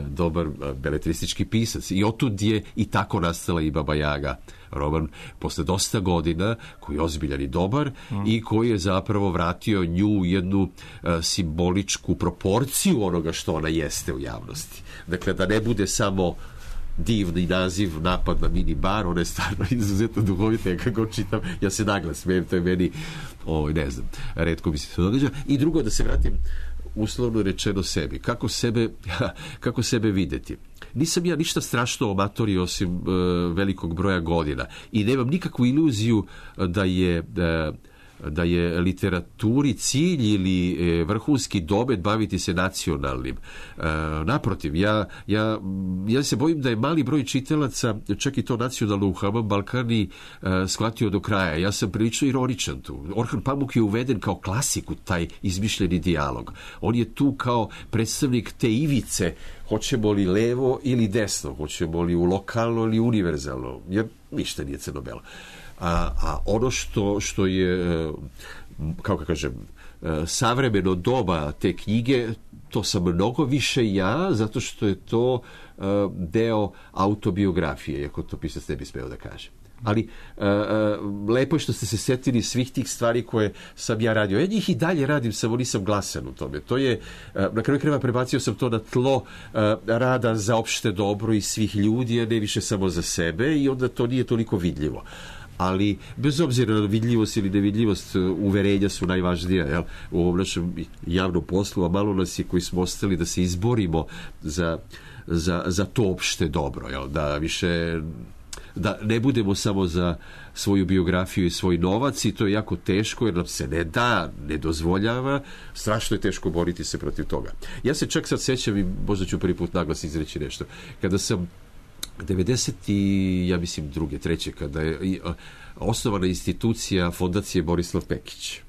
dobar beletristički pisac. I otud je i tako nastala i Baba Jaga, roman posle dosta godina, koji je ozbiljan i dobar i koji je zapravo vratio nju jednu simboličku proporciju onoga što ona jeste u javnosti. Dakle, da ne bude samo divni naziv Napad na mini bar, ona je stvarno izuzetno duhovita, ja kako čitam, ja se naglas smijem, to je meni, ne znam, retko mi se to događa. I drugo, da se vratim uslovno rečeno sebi. Kako sebe videti? Nisam ja ništa strašno amatori osim velikog broja godina i nemam nikakvu iluziju da je literaturi cilj ili vrhunski domet baviti se nacionalnim. Naprotiv, ja se bojim da je mali broj čitalaca, čak i to nacionalno u Haman Balkani, shvatio do kraja. Ja sam prilično ironičan tu. Orhan Pamuk je uveden kao klasik u taj izmišljeni dijalog. On je tu kao predstavnik te ivice, hoćemo li levo ili desno, hoćemo li u lokalno ili univerzalno, jer ništa nije crno-belo. A ono što je, kako kažem, savremeno doba te knjige, to sam mnogo više ja, zato što je to deo autobiografije, iako to pisac ne bi smeo da kaže. Ali lepo je što ste se setili svih tih stvari koje sam ja radio. Ja njih i dalje radim, samo nisam glasan u tome. To je, na kraju krajeva prebacio sam to na tlo rada za opšte dobro i svih ljudi, a ne više samo za sebe, i onda to nije toliko vidljivo. Ali bez obzira na vidljivost ili nevidljivost, uverenja su najvažnija, jel? U ovom našem javnom poslu, a malo nas je koji smo ostali da se izborimo za to opšte dobro, jel? Da ne budemo samo za svoju biografiju i svoj novac, i to je jako teško jer nam se ne dozvoljava, strašno je teško boriti se protiv toga. Ja se čak sad sećam, i možda ću prvi put naglas izreći nešto, kada sam 92. 3. kada je osnovana institucija Fondacije Borislav Pekić.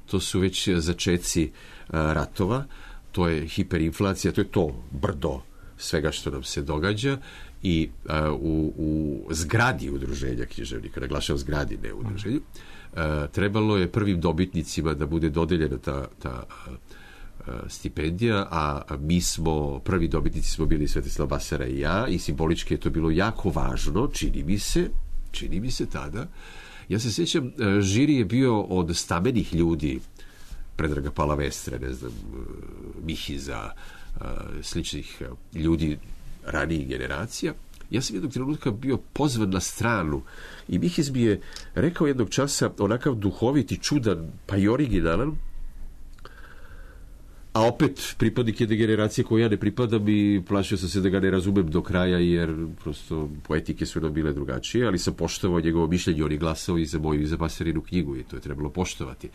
To su već začeci ratova, to je hiperinflacija, to je to brdo svega što nam se događa, i u zgradi udruženja književnika, naglašavam zgradi, ne udruženju, trebalo je prvim dobitnicima da bude dodeljena ta stipendija, a mi smo, prvi dobitnici smo bili Svetislav Basara i ja, i simbolički je to bilo jako važno, čini mi se tada. Ja se sjećam, žiri je bio od stamenih ljudi, Predraga Palavestre, ne znam, Mihiza, sličnih ljudi ranijih generacija. Ja sam jednog trenutka bio pozvan na stranu i Mihiz mi je rekao jednog časa, onakav duhovit i čudan, pa i originalan, a opet pripadnik jedne generacije koju ja ne pripadam, i plašio sam se da ga ne razumem do kraja, jer prosto poetike su nam bile drugačije, ali sam poštovao njegovo mišljenje. On je glasao i za moju i za Basarinu knjigu i to je trebalo poštovati.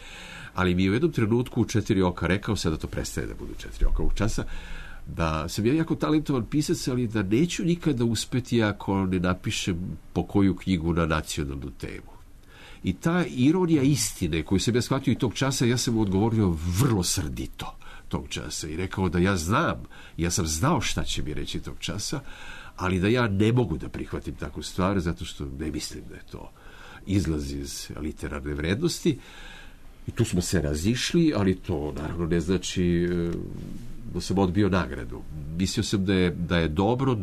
Ali mi je u jednom trenutku u 4 oka rekao, sada to prestaje da budu 4 oka ovog časa, da sam ja jako talentovan pisac, ali da neću nikada uspeti ako ne napišem po koju knjigu na nacionalnu temu. I ta ironija istine koju sam ja shvatio i tog časa, ja sam mu odgovorio vrlo srdito tog časa i rekao da ja sam znao šta će mi reći tog časa, ali da ja ne mogu da prihvatim takvu stvar, zato što ne mislim da je to izlaz iz literarne vrednosti. I tu smo se razišli, ali to naravno ne znači da sam odbio nagradu. Mislio sam da je dobro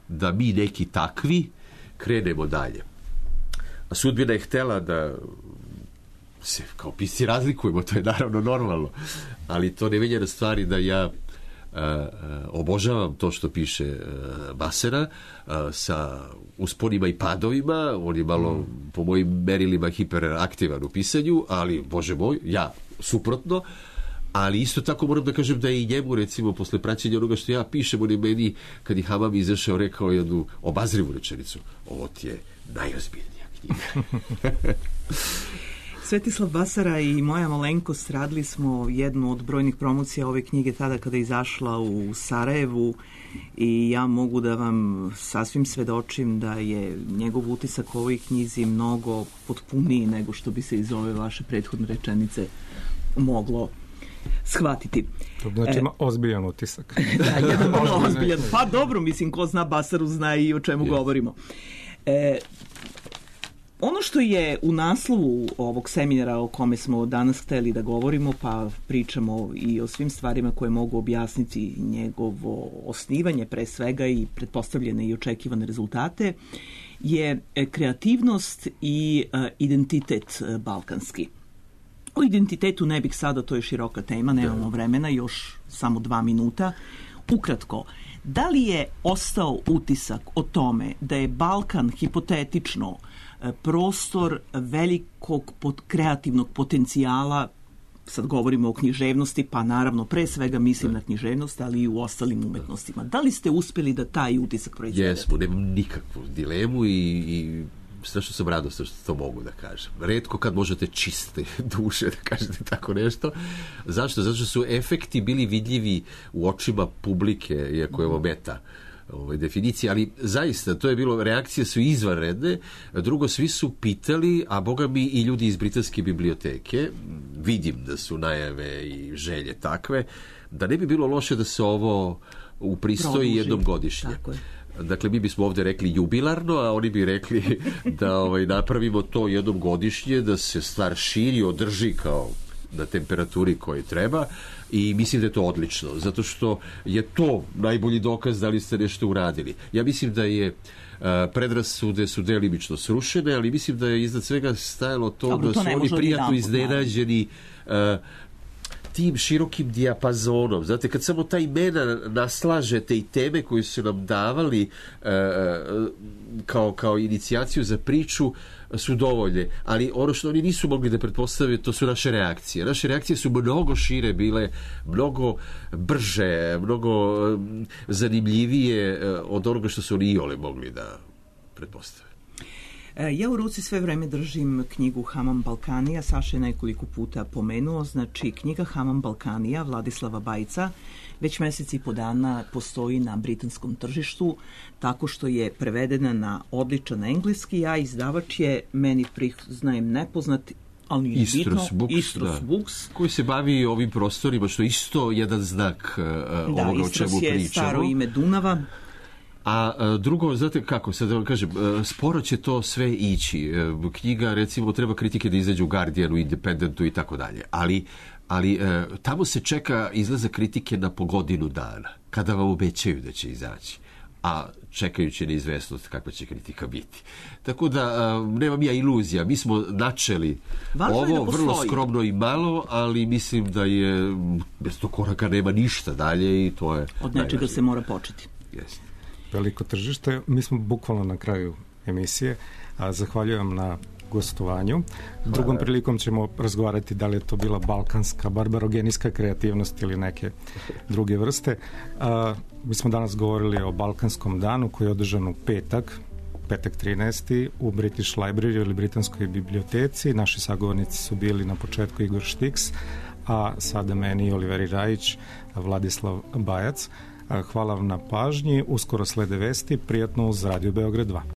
da mi neki takvi krenemo dalje. A sudbina je htela da se kao pisci razlikujemo, to je naravno normalno, ali to ne menja na stvari da ja obožavam to što piše Basera sa usponima i padovima. On je malo po mojim merilima hiperaktivan u pisanju, ali Bože moj, ja suprotno. Ali isto tako moram da kažem da je i njemu, recimo, posle praćenja onoga što ja pišem, on je meni, kad je Hamam izašao, rekao jednu obazrivu rečenicu: ovo ti je najozbiljnija knjiga. Svetislav Basara i moja malenkost radili smo jednu od brojnih promocija ove knjige tada kada je izašla u Sarajevu i ja mogu da vam sasvim svedočim da je njegov utisak u ovoj knjizi mnogo potpuniji nego što bi se iz ove vaše prethodne rečenice moglo shvatiti. To znači ima ozbiljan utisak. Da, jedan vrlo ozbiljan. Pa dobro, mislim, ko zna Basaru zna i o čemu govorimo. Ono što je u naslovu ovog seminara o kome smo danas hteli da govorimo, pa pričamo i o svim stvarima koje mogu objasniti njegovo osnivanje pre svega i pretpostavljene i očekivane rezultate, je kreativnost i identitet balkanski. O identitetu ne bih sada, to je široka tema, nemamo vremena, još samo 2 minuta. Ukratko, da li je ostao utisak o tome da je Balkan hipotetično prostor velikog kreativnog potencijala, sad govorimo o književnosti, pa naravno pre svega mislim na književnost, ali i u ostalim umetnostima. Da li ste uspeli da taj utisak proizvedete? Jesmo, nemam nikakvu dilemu i strašno sam radostan što to mogu da kažem. Retko kad možete čiste duše da kažete tako nešto. Zašto? Zato što su efekti bili vidljivi u očima publike, iako je ovo meta definicija, ali zaista to je bilo, reakcije su izvanredne. Drugo, svi su pitali, a boga mi i ljudi iz Britanske biblioteke, vidim da su najave i želje takve, da ne bi bilo loše da se ovo upristoji jednom godišnje. Tako je. Dakle, mi bismo ovdje rekli jubilarno, a oni bi rekli da napravimo to jednom godišnje, da se stvar širi, održi kao na temperaturi koji treba, i mislim da je to odlično, zato što je to najbolji dokaz da li ste nešto uradili. Ja mislim da je predrasude su delimično srušene, ali mislim da je iznad svega stajalo to da su oni prijatno iznenađeni tim širokim dijapazonom. Znate, kad samo ta imena naslažete i teme koje su nam davali kao inicijaciju za priču su dovoljne, ali ono što oni nisu mogli da pretpostave, to su naše reakcije. Naše reakcije su mnogo šire bile, mnogo brže, mnogo zanimljivije od onoga što su oni iole mogli da pretpostave. Ja u ruci sve vreme držim knjigu Hamam Balkanija, Saša je nekoliko puta pomenuo, znači knjiga Hamam Balkanija Vladislava Bajca već mesec i po dana postoji na britanskom tržištu, tako što je prevedena na odličan engleski, a izdavač je, meni priznajem nepoznat, ali nije bitno, Istros Books, koji se bavi ovim prostorima, što je isto jedan znak ovoga o čemu pričamo. Da, Istros je staro ime Dunava. A drugo, znate kako, sad da vam kažem, sporo će to sve ići. Knjiga, recimo, treba kritike da izađu u Guardianu, Independentu i tako dalje. Ali tamo se čeka izlaza kritike na po godinu dana, kada vam obećaju da će izaći. A čekajući neizvesnost kakva će kritika biti. Tako da nemam ja iluzija. Mi smo načeli ovo vrlo skromno i malo, ali mislim da je bez tog koraka nema ništa dalje i to je od nečega se mora početi. Jeste. Veliko tržište. Mi smo bukvalno na kraju emisije. Zahvaljujem na gostovanju. Drugom prilikom ćemo razgovarati da li je to bila balkanska, barbarogenijska kreativnost ili neke druge vrste. Mi smo danas govorili o Balkanskom danu koji je održan u petak 13. u British Library ili Britanskoj biblioteci. Naši sagovornici su bili na početku Igor Štiks, a sada meni Oliveri Rajić, Vladislav Bajac. Hvala vam na pažnji. Uskoro slede vesti. Prijatno uz Radio Beograd 2.